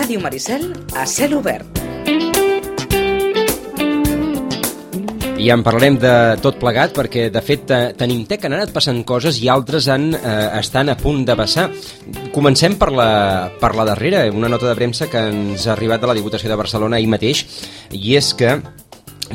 Ràdio Maricel a cel obert. I en parlarem de tot plegat perquè, de fet, tenim que han anat passant coses i altres estan a punt de passar. Comencem per la darrera, una nota de premsa que ens ha arribat de la Diputació de Barcelona ahir mateix, i és que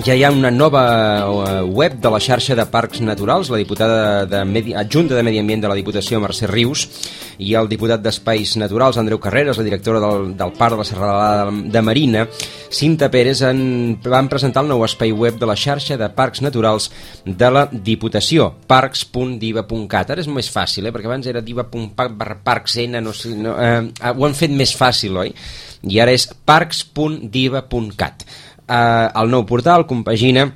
ja hi ha una nova web de la xarxa de parcs naturals. La diputada adjunta de Medi Ambient de la Diputació, Mercè Rius, i el diputat d'Espais Naturals, Andreu Carreras, la directora del Parc de la Serralada de Marina, Cinta Pérez, van presentar el nou espai web de la xarxa de parcs naturals de la Diputació, parcs.diva.cat. Ara és més fàcil, perquè abans era diva.parcsn, ho han fet més fàcil, oi? I ara és parcs.diva.cat. El nou portal compagina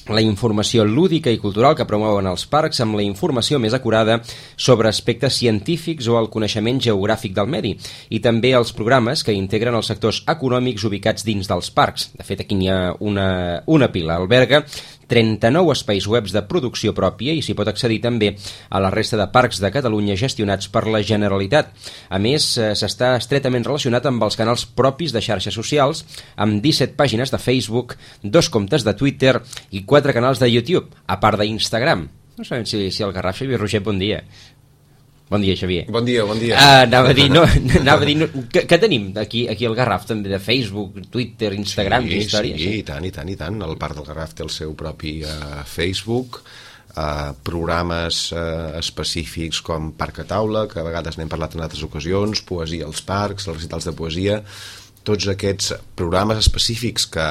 la informació lúdica i cultural que promouen els parcs amb la informació més acurada sobre aspectes científics o el coneixement geogràfic del medi, i també els programes que integren els sectors econòmics ubicats dins dels parcs. De fet, aquí n'hi ha una pila. Alberga 39 espais webs de producció pròpia i s'hi pot accedir també a la resta de parcs de Catalunya gestionats per la Generalitat. A més, s'està estretament relacionat amb els canals propis de xarxes socials, amb 17 pàgines de Facebook, 2 comptes de Twitter i 4 canals de YouTube, a part d'Instagram. No sabem si el Garraf. Xavier Roger, bon dia. Bon dia, Xavier. Bon dia. Anava a dir, què tenim aquí al Garraf, també, de Facebook, Twitter, Instagram, històries? Sí, i tant. El Parc del Garraf té el seu propi Facebook, programes específics com Parc a Taula, que a vegades n'hem parlat en altres ocasions, poesia als parcs, els recitals de poesia. Tots aquests programes específics que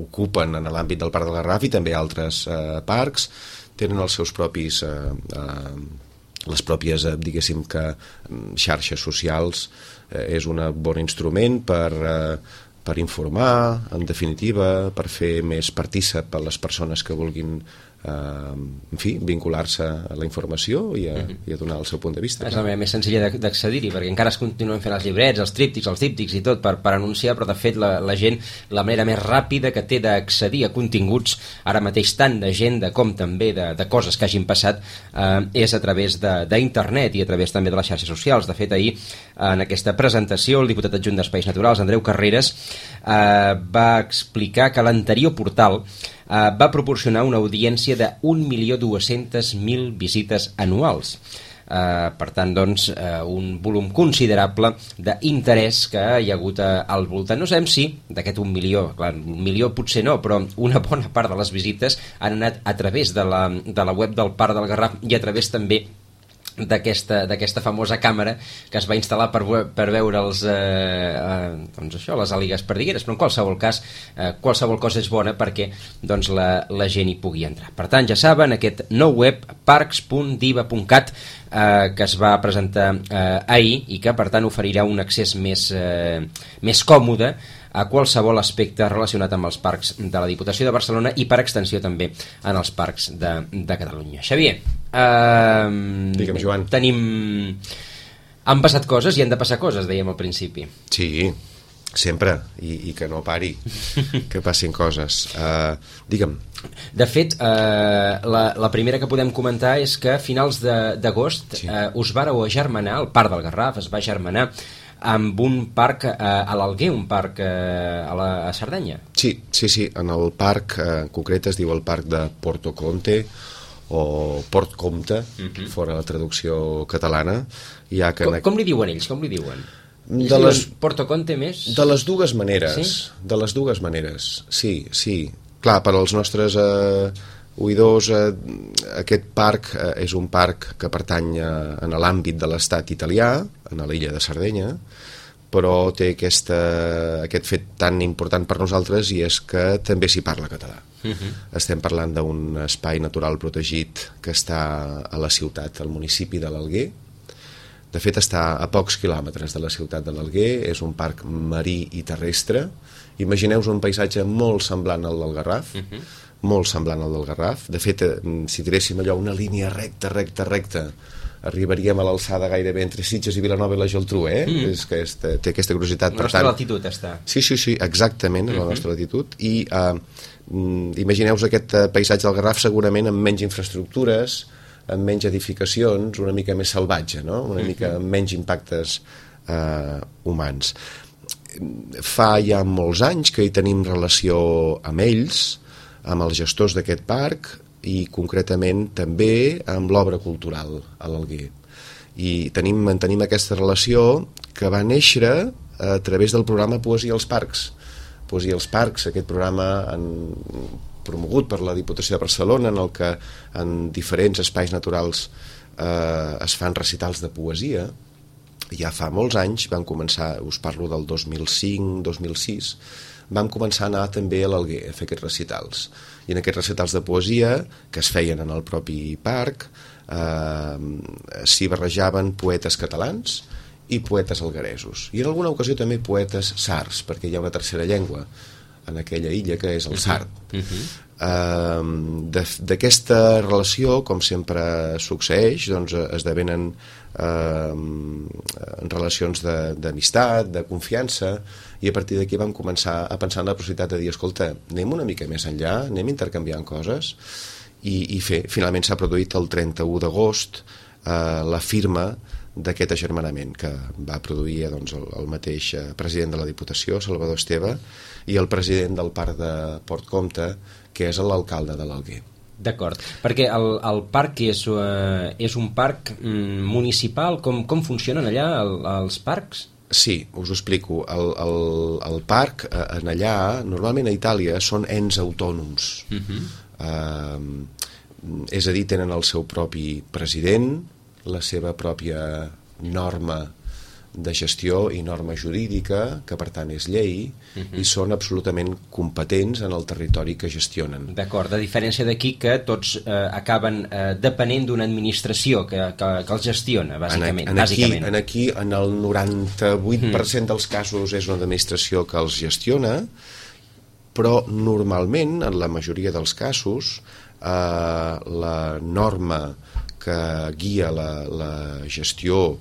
ocupen en l'àmbit del Parc del Garraf i també altres parcs tenen els seus propis les pròpies, diguéssim, que xarxes socials. És un bon instrument per informar, en definitiva, per fer més partícip a les persones que vulguin vincular-se a la informació i a donar el seu punt de vista. És la manera més senzilla d'accedir-hi, perquè encara es continuen fent els llibrets, els tríptics, els díptics i tot per anunciar, però de fet la gent, la manera més ràpida que té d'accedir a continguts ara mateix, tant de gent com també de coses que hagin passat, és a través d'internet i a través també de les xarxes socials. De fet, ahir en aquesta presentació el diputat adjunt d'Espais Naturals, Andreu Carreras, va explicar que l'anterior portal va proporcionar una audiència de 1.200.000 visites anuals. Per tant, doncs, un volum considerable d'interès que hi ha hagut al voltant. No sabem si d'aquest 1 milió, clar, 1 milió potser no, però una bona part de les visites han anat a través de la web del Parc del Garraf i a través també d'aquesta famosa càmera que es va instal·lar per veure les àligues perdigueres, però en qualsevol cas qualsevol cosa és bona perquè doncs, la gent hi pugui entrar. Per tant, ja saben, aquest nou web parcs.diva.cat que es va presentar ahir i que per tant oferirà un accés més còmode a qualsevol aspecte relacionat amb els parcs de la Diputació de Barcelona i per extensió també en els parcs de Catalunya. Xavier, digue'm, Joan. Han passat coses i han de passar coses, dèiem al principi. Sí, sempre, i que no pari, que passin coses. Digue'm. De fet, la primera que podem comentar és que a finals d'agost us vareu agermanar, el Parc del Garraf es va agermanar amb un parc a l'Alguer, un parc a Sardenya. Sí, en el parc en concret es diu el parc de Porto Comte o Port Comte, fora la traducció catalana. Com li diuen ells? Com li diuen? Porto Comte més? De les dues maneres. Sí? De les dues maneres, sí. Clar, per als nostres oïdors, aquest parc és un parc que pertany a l'àmbit de l'estat italià, a l'illa de Sardenya, però té aquest fet tan important per nosaltres, i és que també s'hi parla català. Estem parlant d'un espai natural protegit que està a la ciutat, al municipi de l'Alguer. De fet, està a pocs quilòmetres de la ciutat de l'Alguer, és un parc marí i terrestre. Imagineu-vos un paisatge molt semblant al del Garraf, molt semblant al del Garraf. De fet, si tiréssim allò una línia recta, arribaríem a l'alçada gairebé entre Sitges i Vilanova i la Geltrú, és que té aquesta curiositat. La nostra latitud està. Sí, exactament, la nostra latitud. I imagineu-vos aquest paisatge del Garraf segurament amb menys infraestructures, amb menys edificacions, una mica més salvatge, no? Una mica amb menys impactes humans. fa ja molts anys que hi tenim relació amb ells, amb els gestors d'aquest parc i concretament també amb l'obra cultural a l'Alguer. I mantenim aquesta relació que va néixer a través del programa Poesia als Parcs. Poesia als Parcs, aquest programa promogut per la Diputació de Barcelona, en el que en diferents espais naturals es fan recitals de poesia. Ja fa molts anys, vam començar, us parlo del 2005-2006, vam començar a anar també a l'Alguer a fer aquests recitals. I en aquests recitals de poesia, que es feien en el propi parc, s'hi barrejaven poetes catalans i poetes algueresos. I en alguna ocasió també poetes sards, perquè hi ha una tercera llengua en aquella illa que és el sard. D'aquesta relació, com sempre succeeix, doncs esdevenen relacions d'amistat, de confiança, i a partir d'aquí vam començar a pensar en la possibilitat de dir, escolta, anem una mica més enllà, anem intercanviant coses, i finalment s'ha produït el 31 d'agost la firma d'aquest agermanament que va produir el mateix president de la Diputació, Salvador Esteve, i el president del Parc de Port Comte, que és l'alcalde de l'Alguer. D'acord, perquè el parc és un parc municipal, com funcionen allà els parcs? Sí, us ho explico. El parc, en allà, normalment a Itàlia, són ens autònoms. És a dir, tenen el seu propi president, la seva pròpia norma de gestió i norma jurídica, que per tant és llei, i són absolutament competents en el territori que gestionen. D'acord, a diferència d'aquí que tots acaben depenent d'una administració que els gestiona, bàsicament. Aquí, en el 98% dels casos és una administració que els gestiona, però normalment, en la majoria dels casos, la norma que guia la gestió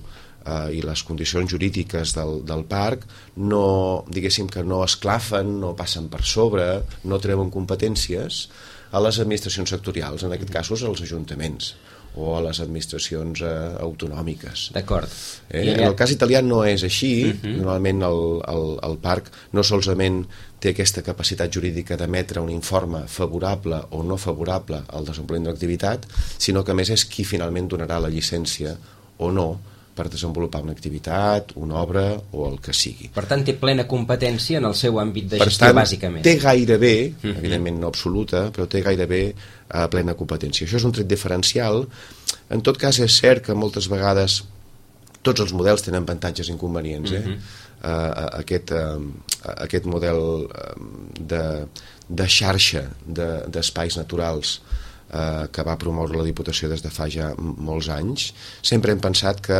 i les condicions jurídiques del parc diguéssim que no esclafen, no passen per sobre, no treuen competències a les administracions sectorials, en aquest cas als ajuntaments o a les administracions autonòmiques. D'acord. En el cas italià no és així. Normalment el parc no solament té aquesta capacitat jurídica d'emetre un informe favorable o no favorable al desenvolupament de l'activitat, sinó que a més és qui finalment donarà la llicència o no per desenvolupar una activitat, una obra o el que sigui. Per tant, té plena competència en el seu àmbit de gestió, bàsicament. Té gairebé, evidentment no absoluta, però té gairebé plena competència. Això és un tret diferencial. En tot cas, és cert que moltes vegades tots els models tenen avantatges i inconvenients. Aquest model de xarxa d'espais naturals que va promoure la Diputació des de fa ja molts anys, sempre hem pensat que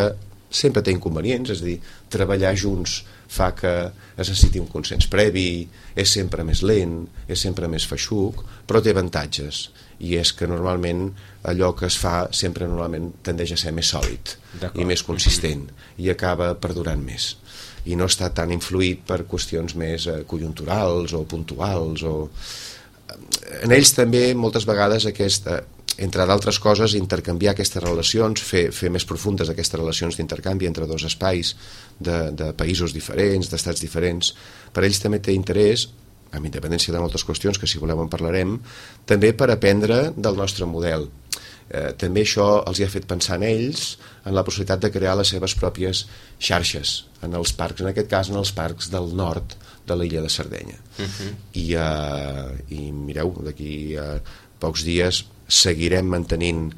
sempre té inconvenients, és a dir, treballar junts fa que es necessiti un consens previ, és sempre més lent, és sempre més feixuc, però té avantatges, i és que normalment allò que es fa sempre normalment tendeix a ser més sòlid i més consistent, i acaba perdurant més, i no està tan influït per qüestions més conjunturals o puntuals en ells també moltes vegades entre d'altres coses, intercanviar aquestes relacions, fer més profundes aquestes relacions d'intercanvi entre dos espais de països diferents, d'estats diferents, per ells també té interès, amb independència de moltes qüestions que si voleu en parlarem, també per aprendre del nostre model. També això els ha fet pensar en ells en la possibilitat de crear les seves pròpies xarxes en els parcs, en aquest cas en els parcs del nord de l'illa de Sardenya. I mireu, d'aquí a pocs dies seguirem mantenint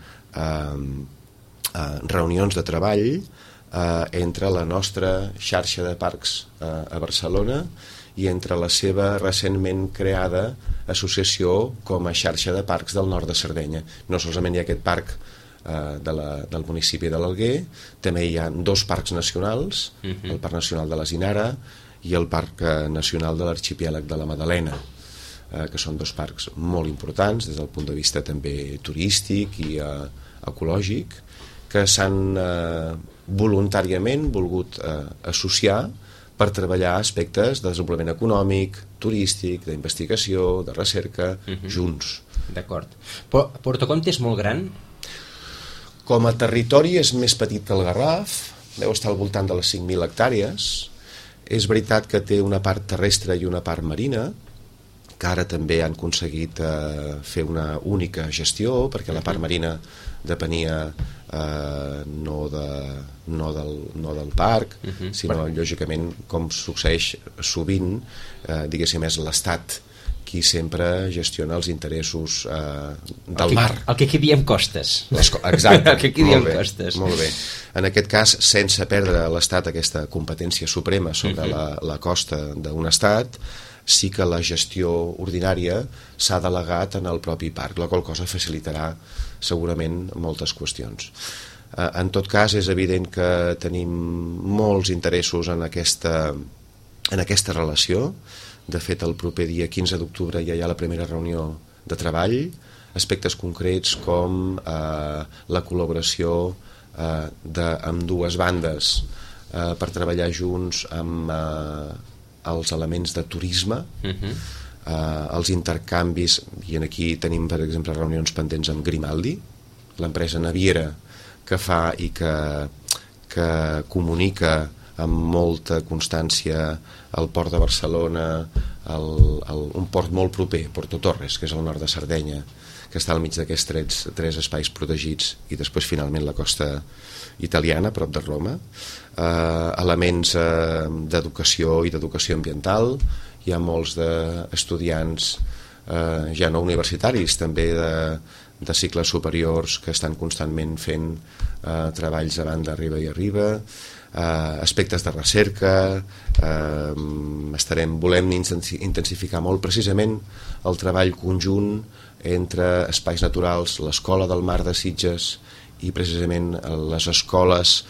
reunions de treball entre la nostra xarxa de parcs a Barcelona i entre la seva recentment creada associació com a xarxa de parcs del nord de Sardenya. No solament hi ha aquest parc del municipi de l'Alguer, també hi ha dos parcs nacionals, el Parc Nacional de la Zinara i el Parc Nacional de l'Arxipèlag de la Madalena, que són dos parcs molt importants des del punt de vista també turístic i ecològic, que s'han voluntàriament volgut associar per treballar aspectes de desenvolupament econòmic, turístic, d'investigació, de recerca, junts. D'acord. Porto Comte és molt gran? Com a territori és més petit que el Garraf, deu estar al voltant de les 5.000 hectàrees, És veritat que té una part terrestre i una part marina, que ara també han aconseguit fer una única gestió, perquè la part marina depenia no del parc, sinó lògicament, com succeeix sovint, diguéssim, és l'Estat qui sempre gestiona els interessos del mar. El que aquí diem costes. Exacte. El que aquí diem costes. Molt bé. En aquest cas, sense perdre l'Estat aquesta competència suprema sobre la costa d'un estat, sí que la gestió ordinària s'ha delegat en el propi parc, la qual cosa facilitarà segurament moltes qüestions. En tot cas, és evident que tenim molts interessos en aquesta relació. De fet, el proper dia 15 d'octubre ja hi ha la primera reunió de treball, aspectes concrets com la col·laboració amb dues bandes per treballar junts amb els elements de turisme, els intercanvis, i aquí tenim, per exemple, reunions pendents amb Grimaldi, l'empresa naviera que fa i que comunica amb molta constància el port de Barcelona, un port molt proper, Porto Torres, que és al nord de Sardenya, que està al mig d'aquests tres espais protegits, i després finalment la costa italiana, prop de Roma. Elements d'educació i d'educació ambiental. Hi ha molts d'estudiants ja no universitaris, també de cicles superiors, que estan constantment fent treballs a banda, arriba i arriba. Aspectes de recerca, volem intensificar molt precisament el treball conjunt entre espais naturals, l'Escola del Mar de Sitges i precisament les escoles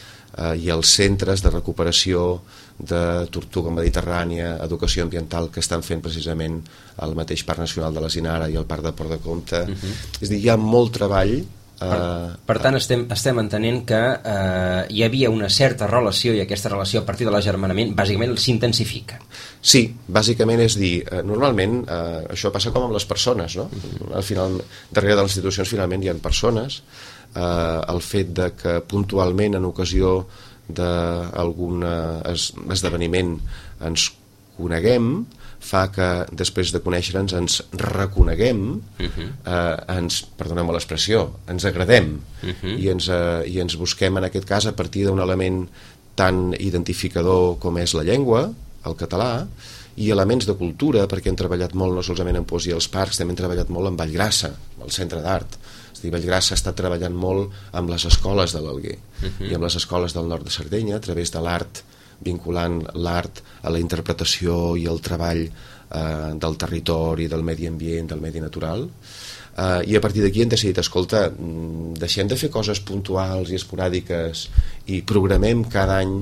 i els centres de recuperació de tortuga mediterrània, educació ambiental, que estan fent precisament el mateix Parc Nacional de la Sinara i el Parc de Port de Comte. És a dir, hi ha molt treball. Per tant, estem entenent que hi havia una certa relació, i aquesta relació a partir de l'agermanament bàsicament s'intensifica. Sí, bàsicament és dir, normalment això passa com amb les persones, no? Al final, darrere de les institucions finalment hi ha persones. El fet de que puntualment en ocasió d'algun esdeveniment ens coneguem fa que després de conèixer-nos ens reconeguem, perdoneu-me l'expressió, ens agradem i ens busquem en aquest cas a partir d'un element tan identificador com és la llengua, el català, i elements de cultura, perquè hem treballat molt no solament en poesia als parcs, també hem treballat molt en Vallgrassa, el centre d'art. És a dir, Vallgrassa ha estat treballant molt amb les escoles de l'Alguer i amb les escoles del nord de Sardenya, a través de l'art, vinculant l'art a la interpretació i el treball del territori, del medi ambient, del medi natural, i a partir d'aquí hem decidit, escolta, deixem de fer coses puntuals i esporàdiques i programem cada any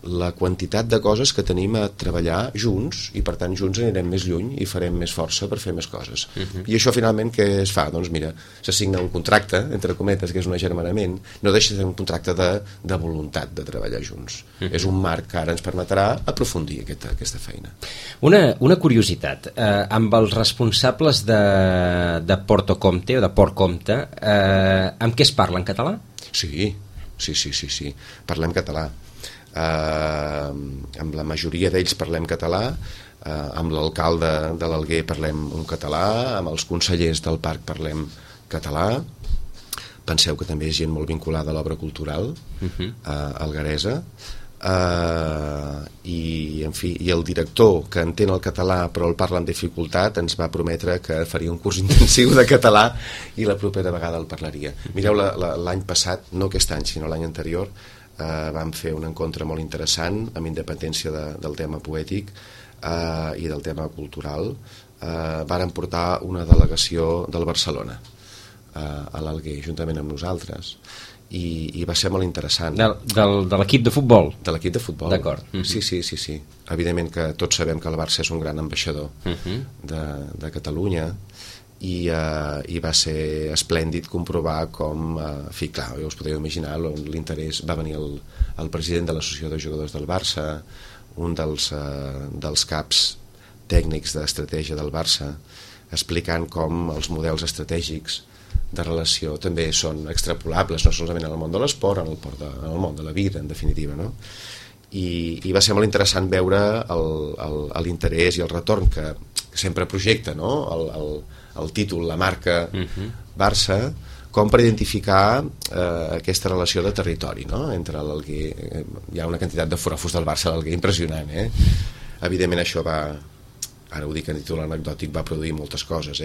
la quantitat de coses que tenim a treballar junts, i per tant junts anirem més lluny i farem més força per fer més coses. I això finalment què es fa? Doncs mira, se signa un contracte, entre cometes, que és un agermanament, no deixa de ser un contracte de voluntat de treballar junts. És un marc que ara ens permetrà aprofundir aquesta feina. Una curiositat, amb els responsables de Porto Comte o de Port Comte, amb què es parla, en català? Sí, parlem català. Amb la majoria d'ells parlem català, amb l'alcalde de l'Alguer parlem un català, amb els consellers del parc parlem català. Penseu que també és gent molt vinculada a l'obra cultural algueresa, i el director, que entén el català però el parla amb dificultat, ens va prometre que faria un curs intensiu de català i la propera vegada el parlaria. Mireu, l'any passat, no aquest any sinó l'any anterior, vam fer un encontre molt interessant amb independència del tema poètic i del tema cultural. Varen portar una delegació del Barcelona a l'Alguer juntament amb nosaltres i va ser molt interessant. De l'equip de futbol? De l'equip de futbol. D'acord. Sí. Evidentment que tots sabem que el Barça és un gran ambaixador de Catalunya, i va ser esplèndid comprovar com, clar, us podeu imaginar l'interès. Va venir el president de l'associació de jugadors del Barça, un dels caps tècnics d'estratègia del Barça, explicant com els models estratègics de relació també són extrapolables no solament en el món de l'esport, en el món de la vida, en definitiva, no? i va ser molt interessant veure l'interès i el retorn que sempre projecta, no? el títol, la marca Barça, com per identificar aquesta relació de territori, no? Entre l'Alguer. Hi ha una quantitat de forofos del Barça a l'Alguer impressionant, Evidentment això va, ara ho dic en títol anecdòtic, va produir moltes coses,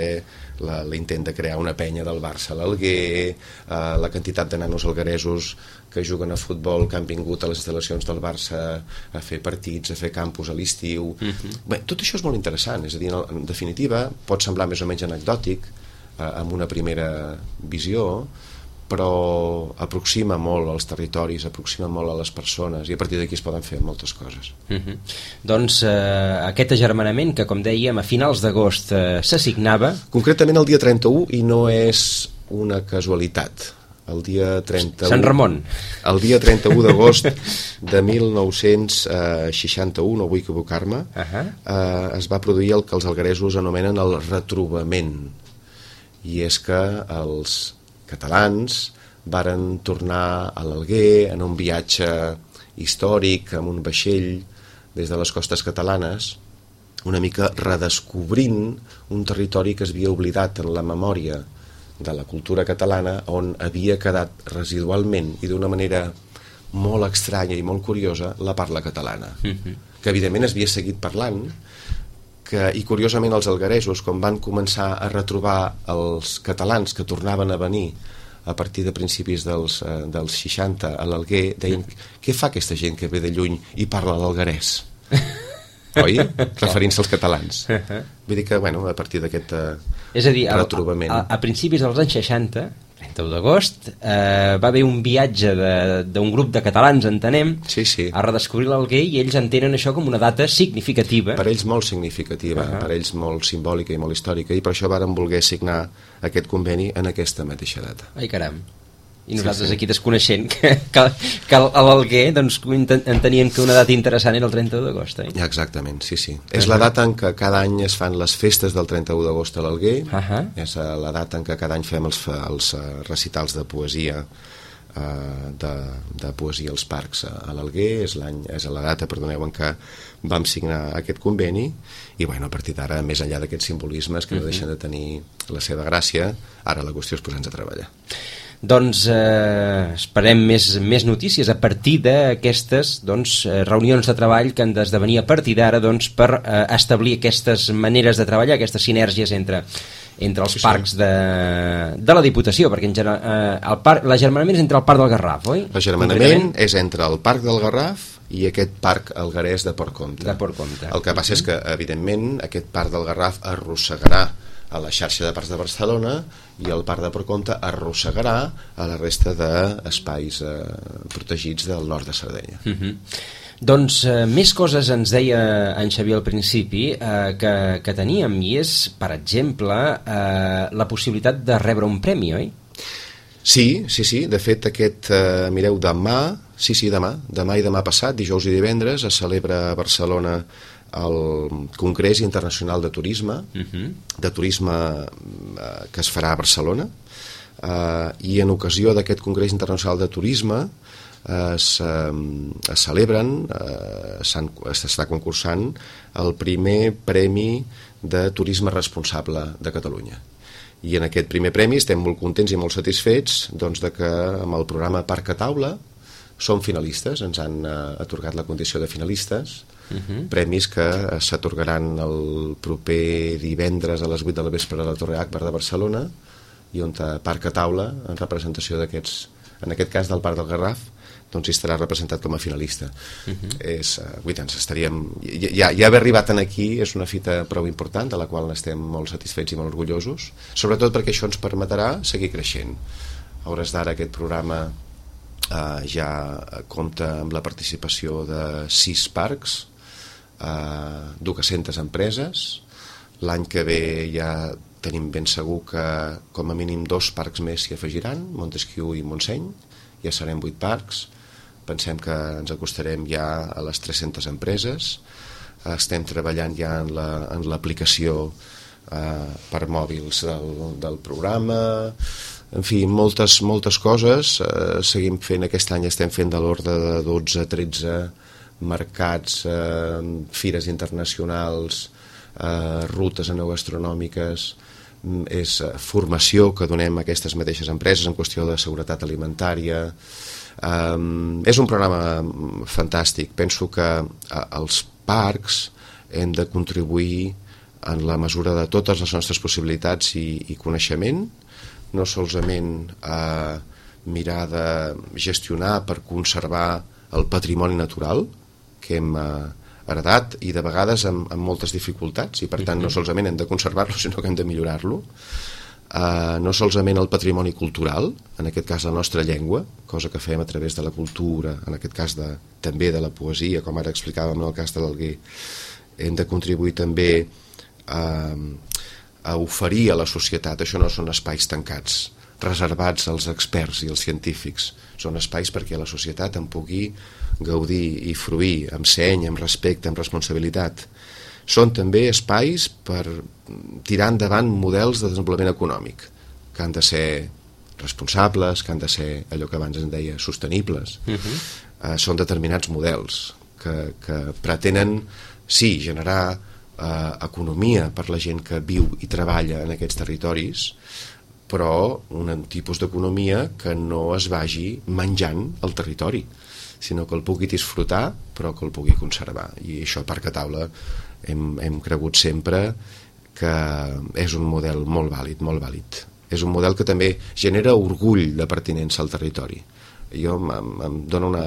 l'intent de crear una penya del Barça a l'Alguer, la quantitat de nanos algueresos que juguen a futbol, que han vingut a les instal·lacions del Barça a fer partits, a fer campus a l'estiu. Bé, tot això és molt interessant, és a dir, en definitiva pot semblar més o menys anecdòtic amb una primera visió, però aproxima molt als territoris, aproxima molt a les persones, i a partir d'aquí es poden fer moltes coses. Doncs aquest agermanament que, com dèiem, a finals d'agost s'assignava... Concretament el dia 31, i no és una casualitat. El dia 31... Sant Ramon. El dia 31 d'agost de 1961, no vull equivocar-me, es va produir el que els algueresos anomenen el retrobament. I és que els catalans varen tornar a l'Alguer en un viatge històric amb un vaixell des de les costes catalanes, una mica redescobrint un territori que es havia oblidat en la memòria de la cultura catalana, on havia quedat residualment i d'una manera molt estranya i molt curiosa la parla catalana, que evidentment es havia seguit parlant, i curiosament els algueresos, quan van començar a retrobar els catalans que tornaven a venir a partir de principis dels 60 a l'Alguer, deien, què fa aquesta gent que ve de lluny i parla l'alguerès? Oi? Referint-se als catalans. Vull dir que, bueno, a partir d'aquest retrobament... A principis dels anys 60, 31 d'agost, va haver un viatge d'un grup de catalans, entenem, a redescobrir l'Alguer, i ells entenen això com una data significativa. Per ells molt significativa, per ells molt simbòlica i molt històrica, i per això varen voler signar aquest conveni en aquesta mateixa data. Ai, caram. I nosaltres aquí desconeixent que a l'Alguer doncs, entenien que una data interessant era el 31 d'agost. Exactament, sí. És la data en què cada any es fan les festes del 31 d'agost a l'Alguer, és la data en què cada any fem els recitals de poesia de poesia als parcs a l'Alguer, és la data, perdoneu, en què vam signar aquest conveni, i bueno, a partir d'ara, més enllà d'aquests simbolismes que no deixen de tenir la seva gràcia, ara la qüestió és posar-nos a treballar. Doncs esperem més notícies a partir d'aquestes reunions de treball que han d'esdevenir a partir d'ara per establir aquestes maneres de treballar, aquestes sinergies entre els parcs de la Diputació, perquè l'agermanament és entre el Parc del Garraf, oi? L'agermanament és entre el Parc del Garraf i aquest parc alguerès de Port Comte. El que passa és que, evidentment, aquest Parc del Garraf arrossegarà a la xarxa de parcs de Barcelona, i el Parc de Port Comte arrossegarà a la resta d'espais protegits del nord de Sardenya. Doncs més coses ens deia en Xavier al principi que teníem, i és, per exemple, la possibilitat de rebre un premi, oi? Sí, de fet mireu, demà i demà passat, dijous i divendres, es celebra a Barcelona el Congrés Internacional de Turisme, que es farà a Barcelona, i en ocasió d'aquest Congrés Internacional de Turisme es celebren, s'està concursant el primer Premi de Turisme Responsable de Catalunya. I en aquest primer premi estem molt contents i molt satisfets de que amb el programa Parc a Taula som finalistes, ens han atorgat la condició de finalistes, premis que s'atorgaran el proper divendres a les 8 de la vespre a la Torre Akbar de Barcelona, i on Parc a Taula, en representació d'aquests, en aquest cas del Parc del Garraf, doncs hi estarà representat com a finalista. Ja haver arribat aquí és una fita prou important, de la qual estem molt satisfets i molt orgullosos, sobretot perquè això ens permetrà seguir creixent. A hores d'ara aquest programa ja compta amb la participació de 6 parcs, 200 empreses. L'any que ve ja tenim ben segur que com a mínim 2 parcs més s'hi afegiran, Montesquieu i Montseny, ja serem 8 parcs. Pensem que ens acostarem ja a les 300 empreses. Estem treballant ja en l'aplicació per mòbils del programa. En fi, moltes coses. Seguim fent, aquest any estem fent de l'ordre de 12-13 mercats, fires internacionals, rutes enogastronomíques, és formació que donem a aquestes mateixes empreses en qüestió de seguretat alimentària. És un programa fantàstic. Penso que els parcs hem de contribuir en la mesura de totes les nostres possibilitats i coneixement, no solament a mirar de gestionar per conservar el patrimoni natural que hem heredat i de vegades amb moltes dificultats, i per tant no solament hem de conservar-lo sinó que hem de millorar-lo, no solament el patrimoni cultural, en aquest cas la nostra llengua, cosa que fem a través de la cultura, en aquest cas també de la poesia, com ara explicàvem en el cas de l'Alguer. Hem de contribuir també a oferir a la societat. Això no són espais tancats reservats als experts i als científics, són espais perquè la societat en pugui gaudir i fruir amb seny, amb respecte, amb responsabilitat. Són també espais per tirar endavant models de desenvolupament econòmic que han de ser responsables, que han de ser allò que abans en deia sostenibles. Són determinats models que pretenen sí, generar economia per la gent que viu i treballa en aquests territoris, però un tipus d'economia que no es vagi menjant el territori, sinó que el pugui disfrutar però que el pugui conservar. I això a Parc a Taula hem cregut sempre que és un model molt vàlid, molt vàlid. És un model que també genera orgull de pertinença al territori. Jo em dona una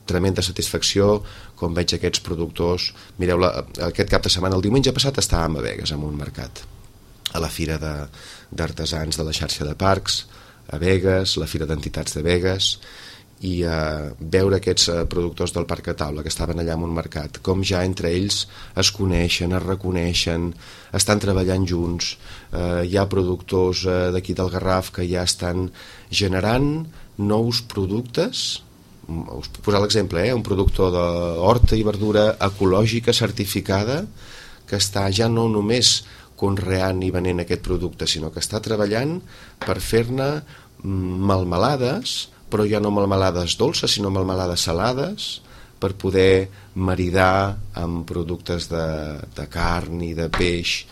tremenda satisfacció quan veig aquests productors. Mireu, aquest cap de setmana, el diumenge passat, estàvem a Begues, en un mercat, a la fira d'artesans de la xarxa de parcs, a Begues, la fira d'entitats de Begues, i veure aquests productors del Parc a Taula que estaven allà en un mercat, com ja entre ells es coneixen, es reconeixen, estan treballant junts. Hi ha productors d'aquí del Garraf que ja estan generant nous productes. Us puc posar l'exemple, un productor d'horta i verdura ecològica certificada que està ja no només conreant i venent aquest producte, sinó que està treballant per fer-ne melmelades, però ja no melmelades dolces, sinó melmelades salades, per poder maridar amb productes de carn i de peix,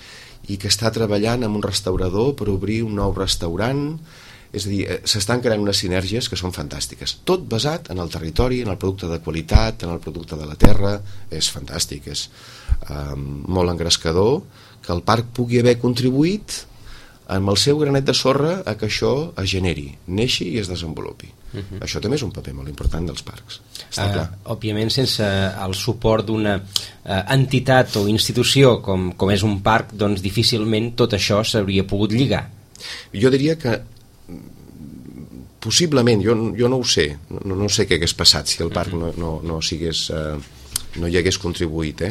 i que està treballant amb un restaurador per obrir un nou restaurant. És a dir, s'estan creant unes sinergies que són fantàstiques. Tot basat en el territori, en el producte de qualitat, en el producte de la terra. És fantàstic, és molt engrescador que el parc pugui haver contribuït amb el seu granet de sorra a que això es generi, neixi i es desenvolupi. Això també és un paper molt important dels parcs. Està clar. Òbviament, sense el suport d'una entitat o institució com és un parc, doncs difícilment tot això s'hauria pogut lligar. Jo diria que possiblement, jo no ho sé, no sé què hagués passat si el parc no hi hagués contribuït.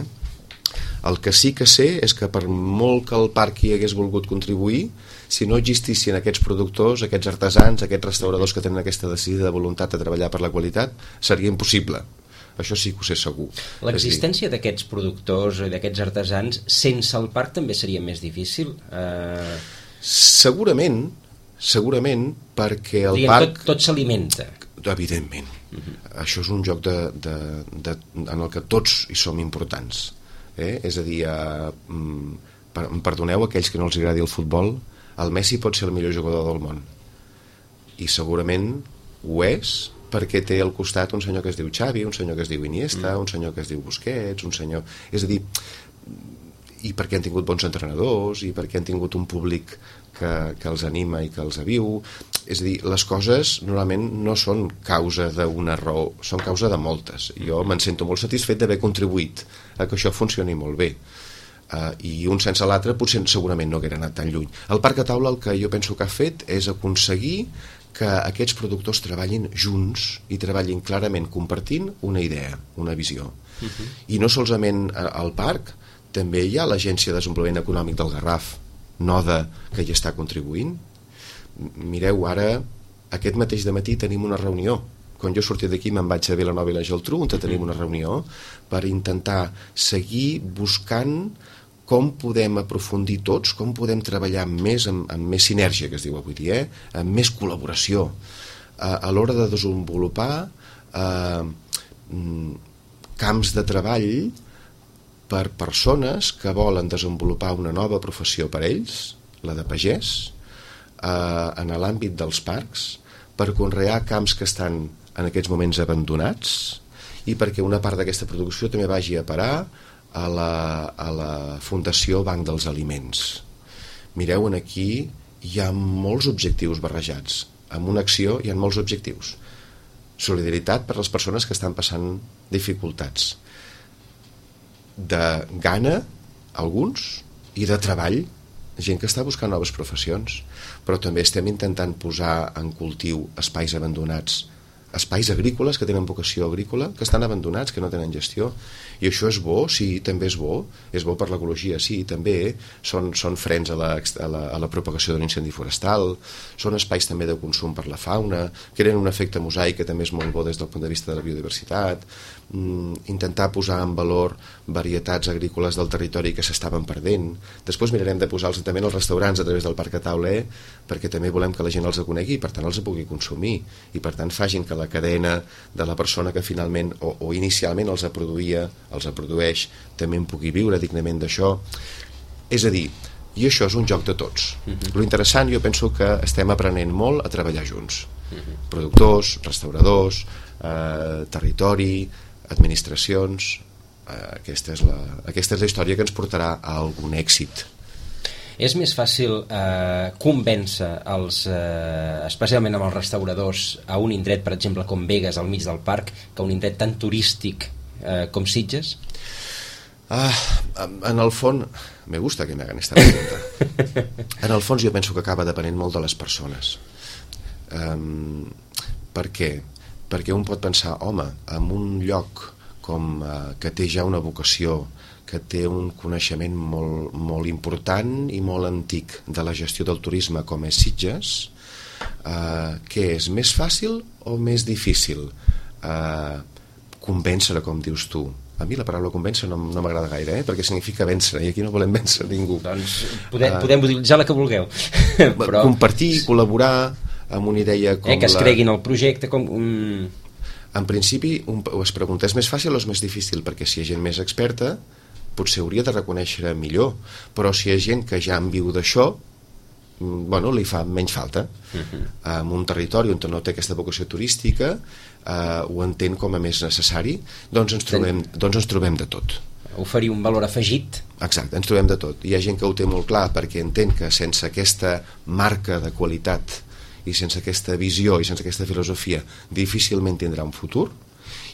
El que sí que sé és que per molt que el parc hi hagués volgut contribuir, si no existissin aquests productors, aquests artesans, aquests restauradors que tenen aquesta decidida voluntat de treballar per la qualitat, seria impossible. Això sí que ho sé segur. L'existència d'aquests productors i d'aquests artesans sense el parc també seria més difícil? Segurament, perquè el parc... Tot s'alimenta. Evidentment. Això és un joc en el que tots hi som importants. És a dir, perdoneu aquells que no els agradi el futbol, el Messi pot ser el millor jugador del món, i segurament ho és perquè té al costat un senyor que es diu Xavi, un senyor que es diu Iniesta, un senyor que es diu Busquets, un senyor... És a dir, i perquè han tingut bons entrenadors, i perquè han tingut un públic que els anima i que els aviu. És a dir, les coses normalment no són causa d'una raó, són causa de moltes. Jo me'n sento molt satisfet d'haver contribuït a que això funcioni molt bé. I un sense l'altre potser segurament no haguera anat tan lluny. El Parc a Taula el que jo penso que ha fet és aconseguir que aquests productors treballin junts i treballin clarament compartint una idea, una visió. I no solament al parc, també hi ha l'Agència de Desenvolupament Econòmic del Garraf, NODA, que hi està contribuint. Mireu, ara aquest mateix dematí tenim una reunió. Quan jo sortia d'aquí me'n vaig a Vilanova i la Geltrú, on tenim una reunió per intentar seguir buscant com podem aprofundir tots, com podem treballar més amb més sinergia, que es diu avui dia, amb més col·laboració a l'hora de desenvolupar camps de treball per persones que volen desenvolupar una nova professió per ells, la de pagès, en l'àmbit dels parcs, per conrear camps que estan en aquests moments abandonats i perquè una part d'aquesta producció també vagi a parar a la Fundació Banc dels Aliments. Mireu, aquí hi ha molts objectius barrejats. En una acció hi ha molts objectius. Solidaritat per les persones que estan passant dificultats. De gana, alguns, i de treball, gent que està buscant noves professions, però també estem intentant posar en cultiu espais abandonats, espais agrícoles que tenen vocació agrícola, que estan abandonats, que no tenen gestió, i això és bo, sí, també és bo per l'ecologia, sí, també són frens a la propagació d'un incendi forestal, són espais també de consum per la fauna, creen un efecte mosaic que també és molt bo des del punt de vista de la biodiversitat, intentar posar en valor varietats agrícoles del territori que s'estaven perdent. Després mirarem de posar-los també als restaurants a través del Parc Atauler, perquè també volem que la gent els conegui i per tant els pugui consumir, i per tant facin que la cadena de la persona que finalment o inicialment els produeix també en pugui viure dignament d'això. És a dir, i això és un joc de tots. Lo interessant, jo penso que estem aprenent molt a treballar junts, productors, restauradors, territori, administracions. Aquesta és la història que ens portarà a algun èxit. És més fàcil convèncer especialment amb els restauradors a un indret, per exemple, com Begues, al mig del parc, que un indret tan turístic com Sitges? En el fons, me gusta que me hagan esta pregunta. En el fons jo penso que acaba depenent molt de les persones. Per què? Perquè un pot pensar, home, en un lloc que té ja una vocació, que té un coneixement molt important i molt antic de la gestió del turisme com és Sitges, què és més fàcil o més difícil convèncer, com dius tu? A mi la paraula convèncer no m'agrada gaire, perquè significa vèncer, i aquí no volem vèncer ningú. Doncs podem utilitzar la que vulgueu. Però compartir, col·laborar amb una idea com que es creguin el projecte com... En principi es pregunta, és més fàcil o és més difícil? Perquè si hi ha gent més experta potser hauria de reconèixer millor, però si hi ha gent que ja en viu d'això, li fa menys falta. En un territori on no té aquesta vocació turística, ho entén com a més necessari, doncs ens trobem de tot. Oferir un valor afegit. Exacte, ens trobem de tot. Hi ha gent que ho té molt clar perquè entén que sense aquesta marca de qualitat i sense aquesta visió i sense aquesta filosofia difícilment tindrà un futur,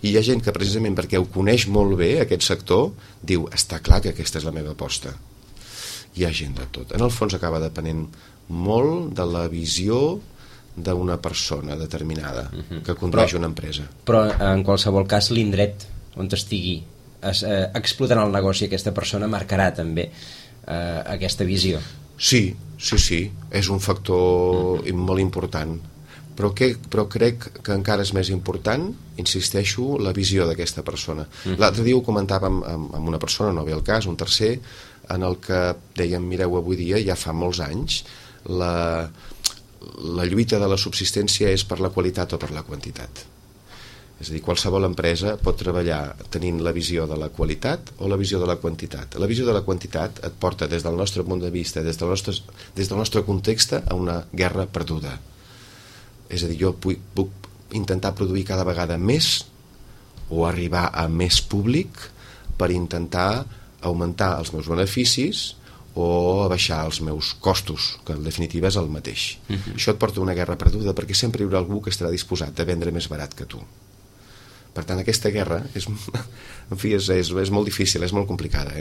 i hi ha gent que precisament perquè ho coneix molt bé aquest sector diu, està clar que aquesta és la meva aposta. Hi ha gent de tot. En el fons acaba depenent molt de la visió d'una persona determinada que condueix una empresa. Però en qualsevol cas l'indret on estigui explotant el negoci aquesta persona marcarà també aquesta visió. Sí, és un factor molt important, però crec que encara és més important, insisteixo, la visió d'aquesta persona. L'altre dia ho comentàvem amb una persona, no ve el cas, un tercer, en el que dèiem, mireu, avui dia, ja fa molts anys, la lluita de la subsistència és per la qualitat o per la quantitat. És a dir, qualsevol empresa pot treballar tenint la visió de la qualitat o la visió de la quantitat. La visió de la quantitat et porta des del nostre punt de vista, des del nostre context, a una guerra perduda. És a dir, jo puc intentar produir cada vegada més o arribar a més públic per intentar augmentar els meus beneficis o abaixar els meus costos, que en definitiva és el mateix. Això et porta a una guerra perduda perquè sempre hi haurà algú que estarà disposat a vendre més barat que tu. Per tant, aquesta guerra és molt difícil, és molt complicada,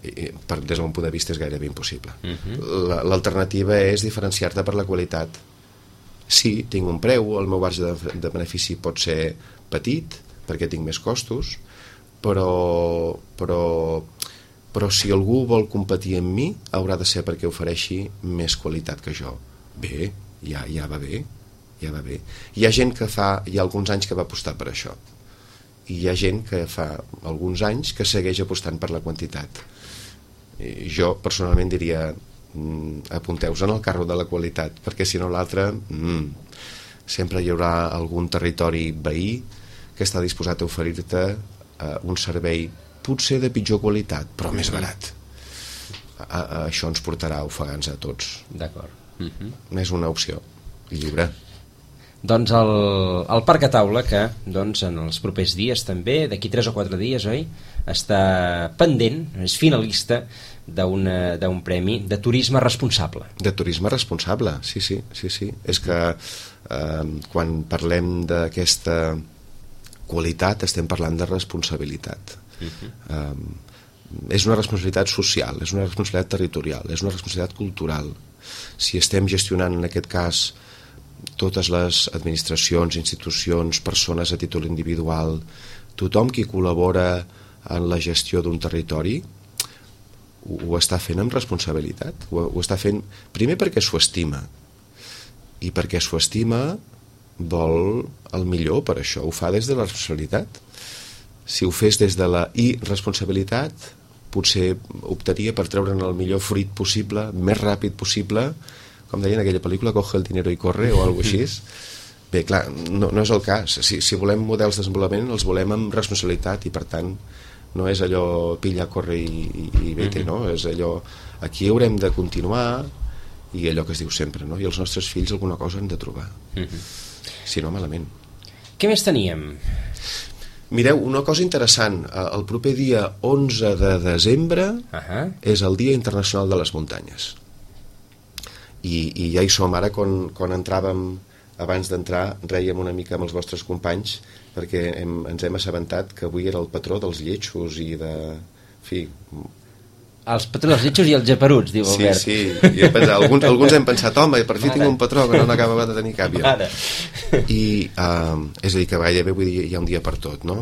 des del meu punt de vista és gairebé impossible. L'alternativa és diferenciar-te per la qualitat. Sí, tinc un preu, el meu marge de benefici pot ser petit perquè tinc més costos, però si algú vol competir amb mi haurà de ser perquè ofereixi més qualitat que jo. Bé, ja va bé. Hi ha gent hi ha alguns anys que va apostar per això, i hi ha gent que fa alguns anys que segueix apostant per la quantitat. Jo personalment diria, apunteu-vos en el carro de la qualitat, perquè si no l'altre sempre hi haurà algun territori veí que està disposat a oferir-te un servei potser de pitjor qualitat, però més barat. Això ens portarà a ofegants a tots. D'acord. És una opció lliure. Doncs el Parc a Taula, que doncs, en els propers dies també, d'aquí 3 o 4 dies, oi? Està pendent, és finalista d'un premi de turisme responsable. De turisme responsable, sí. És que quan parlem d'aquesta qualitat estem parlant de responsabilitat. És una responsabilitat social, és una responsabilitat territorial, és una responsabilitat cultural. Si estem gestionant en aquest cas totes les administracions, institucions, persones a títol individual, tothom qui col·labora en la gestió d'un territori ho està fent amb responsabilitat, ho està fent primer perquè s'ho estima, i perquè s'ho estima vol el millor per això, ho fa des de la responsabilitat. Si ho fes des de la irresponsabilitat potser optaria per treure'n el millor fruit possible, més ràpid possible, com deien en aquella pel·lícula, coge el dinero i corre o alguna cosa així. Bé, clar, no és el cas. Si volem models de desenvolupament els volem amb responsabilitat i per tant no és allò pilla, corre i vete, no? És allò, aquí haurem de continuar i allò que es diu sempre, no? I els nostres fills alguna cosa han de trobar. Si no, malament. Què més teníem? Mireu, una cosa interessant, el proper dia 11 de desembre és el Dia Internacional de les Muntanyes. I ja hi som ara, quan entràvem, abans d'entrar, rèiem una mica amb els vostres companys perquè ens hem assabentat que avui era el patró dels lletjos i de... En fi... Els patrons dels lletjos i els geperuts, diu Albert. Sí, i alguns hem pensat, home, per fi tinc un patró que no n'acaba de tenir cap ja. I és a dir, que gairebé vull dir, hi ha un dia per tot, no?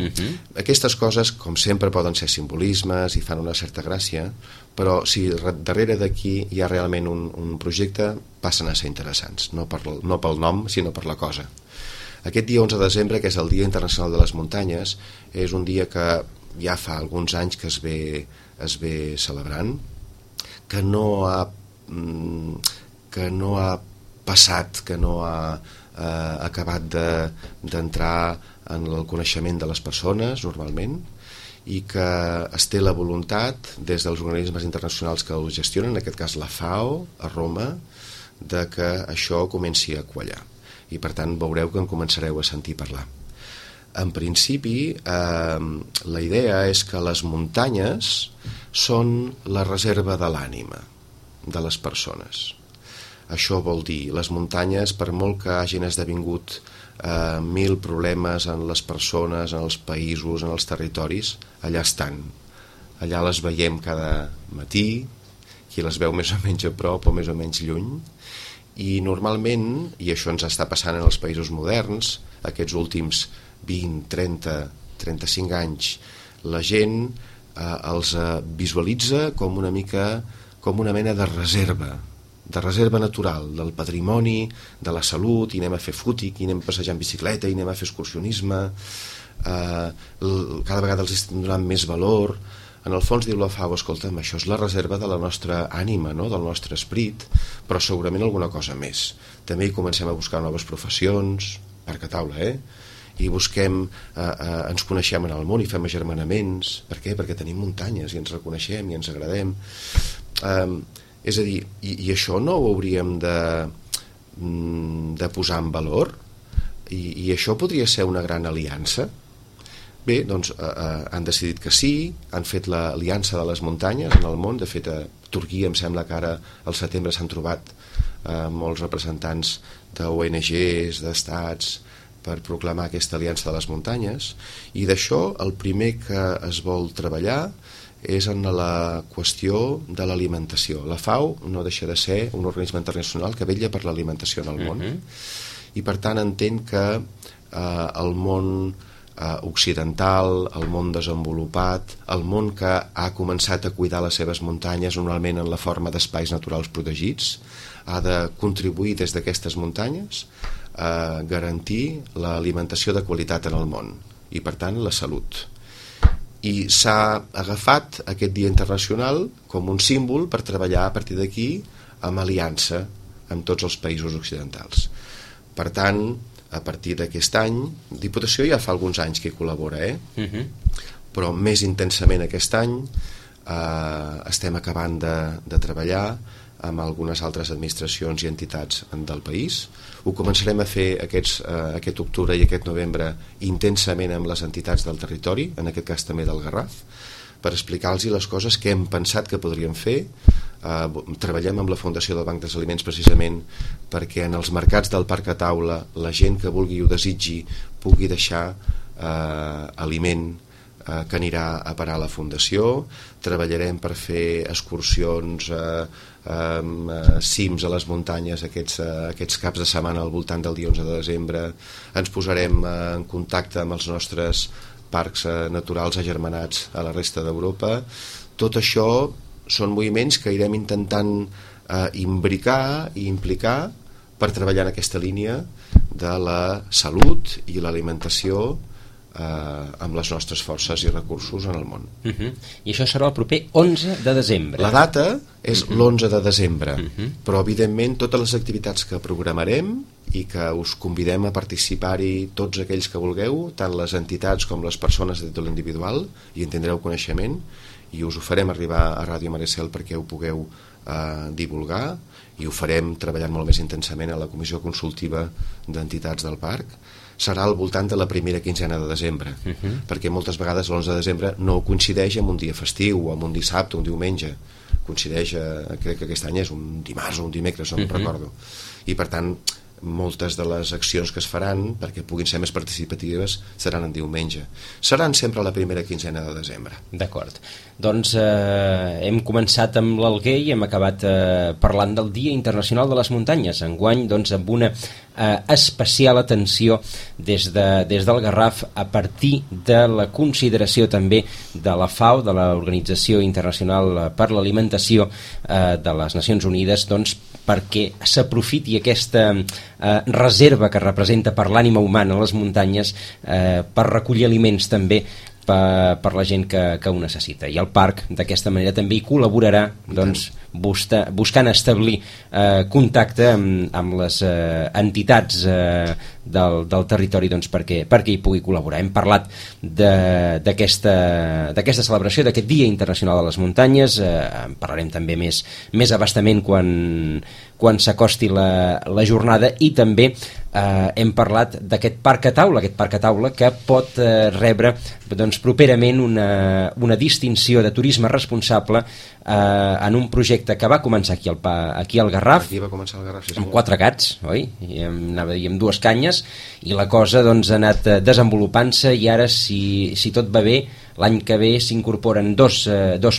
Aquestes coses, com sempre, poden ser simbolismes i fan una certa gràcia, però si darrere d'aquí hi ha realment un projecte, passen a ser interessants, no pel nom, sinó per la cosa. Aquest dia 11 de desembre, que és el Dia Internacional de les Muntanyes, és un dia que ja fa alguns anys que es ve celebrant, que no ha passat, que no ha acabat d'entrar en el coneixement de les persones normalment, i que es té la voluntat des dels organismes internacionals que el gestionen, en aquest cas la FAO a Roma, de que això comenci a quallar, i per tant veureu que en començareu a sentir parlar. En principi, la idea és que les muntanyes són la reserva de l'ànima de les persones. Això vol dir, les muntanyes, per molt que hagin esdevingut 1000 problemes en les persones, en els països, en els territoris, allà estan. Allà les veiem cada matí, qui les veu més o menys a prop o més o menys lluny, i normalment, i això ens està passant en els països moderns, aquests últims 20, 30, 35 anys, la gent els visualitza com una mena de reserva natural del patrimoni, de la salut, i anem a fer fútic, i anem a passejar en bicicleta, i anem a fer excursionisme, cada vegada els estem donant més valor. En el fons diu la FAO, escolta'm, això és la reserva de la nostra ànima, no? Del nostre esperit, però segurament alguna cosa més. També hi comencem a buscar noves professions, Parc a Taula, i busquem, ens coneixem en el món i fem agermanaments. Per què? Perquè tenim muntanyes i ens reconeixem i ens agradem. És a dir, i això no ho hauríem de posar en valor? I això podria ser una gran aliança? Bé, doncs han decidit que sí, han fet l'aliança de les muntanyes en el món. De fet, a Turquia em sembla que ara al setembre s'han trobat molts representants d'ONGs, d'estats, per proclamar aquesta aliança de les muntanyes, i d'això el primer que es vol treballar és en la qüestió de l'alimentació. La FAO no deixa de ser un organisme internacional que vetlla per l'alimentació en el món, i per tant entén que el món occidental, el món desenvolupat, el món que ha començat a cuidar les seves muntanyes normalment en la forma d'espais naturals protegits, ha de contribuir des d'aquestes muntanyes a garantir l'alimentació de qualitat en el món i per tant la salut. I s'ha agafat aquest dia internacional com un símbol per treballar a partir d'aquí amb aliança amb tots els països occidentals. Per tant, a partir d'aquest any, Diputació ja fa alguns anys que hi col·labora, però més intensament aquest any. Estem acabant de treballar amb algunes altres administracions i entitats del país. Ho començarem a fer aquest octubre i aquest novembre intensament amb les entitats del territori, en aquest cas també del Garraf, per explicar-los les coses que hem pensat que podríem fer. Treballem amb la Fundació del Banc dels Aliments precisament perquè en els mercats del parc a taula la gent que vulgui i ho desitgi pugui deixar aliment que anirà a parar a la Fundació. Treballarem per fer excursions, cims a les muntanyes aquests caps de setmana al voltant del dia 11 de desembre. Ens posarem en contacte amb els nostres parcs naturals agermanats a la resta d'Europa. Tot això són moviments que irem intentant imbricar i implicar per treballar en aquesta línia de la salut i l'alimentació amb les nostres forces i recursos en el món. I això serà el proper 11 de desembre. La data és l'11 de desembre, però evidentment totes les activitats que programarem i que us convidem a participar-hi tots aquells que vulgueu, tant les entitats com les persones de títol individual, i en tindreu coneixement, i us ho farem arribar a Ràdio Maricel perquè ho pugueu divulgar, i ho farem treballant molt més intensament a la comissió consultiva d'entitats del parc. Serà al voltant de la primera quinzena de desembre, perquè moltes vegades l'11 de desembre no coincideix amb un dia festiu o amb un dissabte o un diumenge, coincideix, crec que aquest any és un dimarts o un dimecres, no me'n recordo, i per tant moltes de les accions que es faran perquè puguin ser més participatives seran en diumenge. Seran sempre a la primera quinzena de desembre. D'acord. Doncs hem començat amb l'Alguer i hem acabat parlant del Dia Internacional de les Muntanyes. Enguany, doncs, amb una especial atenció des del Garraf a partir de la consideració també de la FAO, de l'Organització Internacional per l'Alimentació de les Nacions Unides, doncs, perquè s'aprofiti aquesta reserva que representa per l'ànima humana les muntanyes per recollir aliments també per la gent que ho necessita. I el parc d'aquesta manera també hi col·laborarà, doncs, buscant establir contacte amb les entitats del territori, doncs, perquè hi pugui col·laborar. Hem parlat d'aquesta celebració, d'aquest Dia Internacional de les Muntanyes. En parlarem també més abastament quan s'acosti la jornada, i també hem parlat d'aquest parc a taula que pot rebre, doncs, properament una distinció de turisme responsable en un projecte que va començar aquí al Garraf. Aquí va començar el Garraf, sí, amb 4 gats, oi? I anava a dir amb 2 canyes, i la cosa, doncs, ha anat desenvolupant-se, i ara, si tot va bé, l'any que ve s'incorporen dos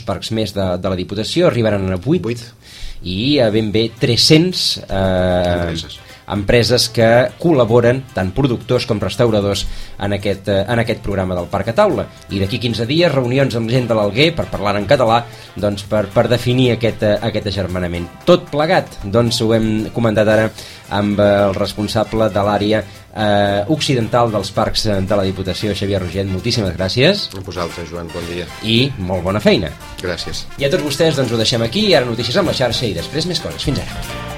parcs més de la Diputació, arribaran a 8. I a ben bé 300 empreses que col·laboren, tant productors com restauradors, en aquest programa del Parc a Taula. I d'aquí 15 dies, reunions amb gent de l'Alguer per parlar en català, doncs, per definir aquest agermanament. Tot plegat, doncs, ho hem comentat ara amb el responsable de l'àrea occidental dels parcs de la Diputació, Xavier Roget. Moltíssimes gràcies. A vosaltres, Joan, bon dia. I molt bona feina. Gràcies. I a tots vostès, doncs, ho deixem aquí, i ara notícies amb la xarxa i després més coses. Fins ara.